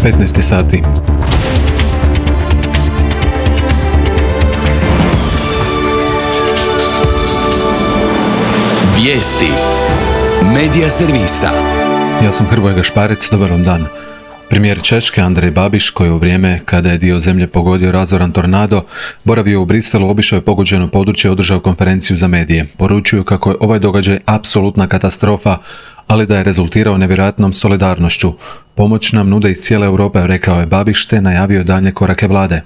15 sati. Vijesti Medija servisa. Ja sam Hrvoje Gašparec, dobar vam dan. Premijer Češke Andrej Babiš, koji u vrijeme kada je dio zemlje pogodio razoran tornado, boravio u Briselu, obišao je pogođeno područje i održao konferenciju za medije. Poručuju kako je ovaj događaj apsolutna katastrofa, ali da je rezultirao nevjerojatnom solidarnošću. Pomoć nam nude iz cijele Europe, rekao je Babiš, te najavio daljnje korake vlade.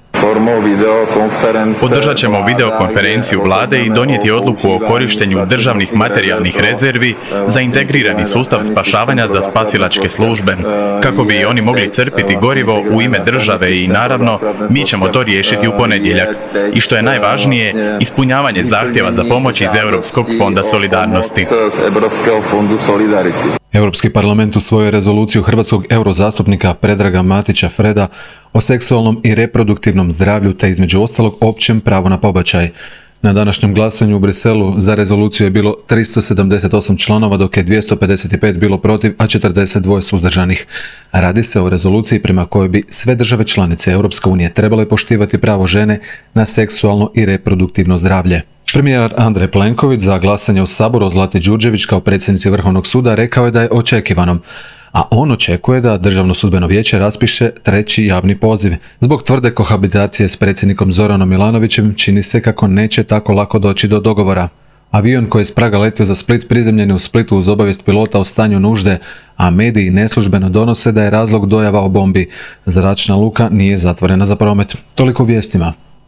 Održat ćemo videokonferenciju vlade i donijeti odluku o korištenju državnih materijalnih rezervi za integrirani sustav spašavanja za spasilačke službe, kako bi oni mogli crpiti gorivo u ime države i naravno mi ćemo to riješiti u ponedjeljak. I što je najvažnije, ispunjavanje zahtjeva za pomoć iz Europskog fonda solidarnosti. Europski parlament usvojio rezoluciju hrvatskog eurozastupnika Predraga Matića Freda o seksualnom i reproduktivnom zdravlju te između ostalog općem pravu na pobačaj. Na današnjem glasanju u Briselu za rezoluciju je bilo 378 članova, dok je 255 bilo protiv, a 42 suzdržanih. Radi se o rezoluciji prema kojoj bi sve države članice Europske unije trebale poštivati pravo žene na seksualno i reproduktivno zdravlje. Premijer Andrej Plenković za glasanje u Saboru o Zlati Đurđević kao predsjednici Vrhovnog suda rekao je da je očekivanom, a on očekuje da Državno sudbeno vijeće raspiše treći javni poziv. Zbog tvrde kohabitacije s predsjednikom Zoranom Milanovićem čini se kako neće tako lako doći do dogovora. Avion koji je s Praga letio za Split prizemljen je u Splitu uz obavijest pilota o stanju nužde, a mediji neslužbeno donose da je razlog dojava o bombi. Zračna luka nije zatvorena za promet. Toliko u vijestima.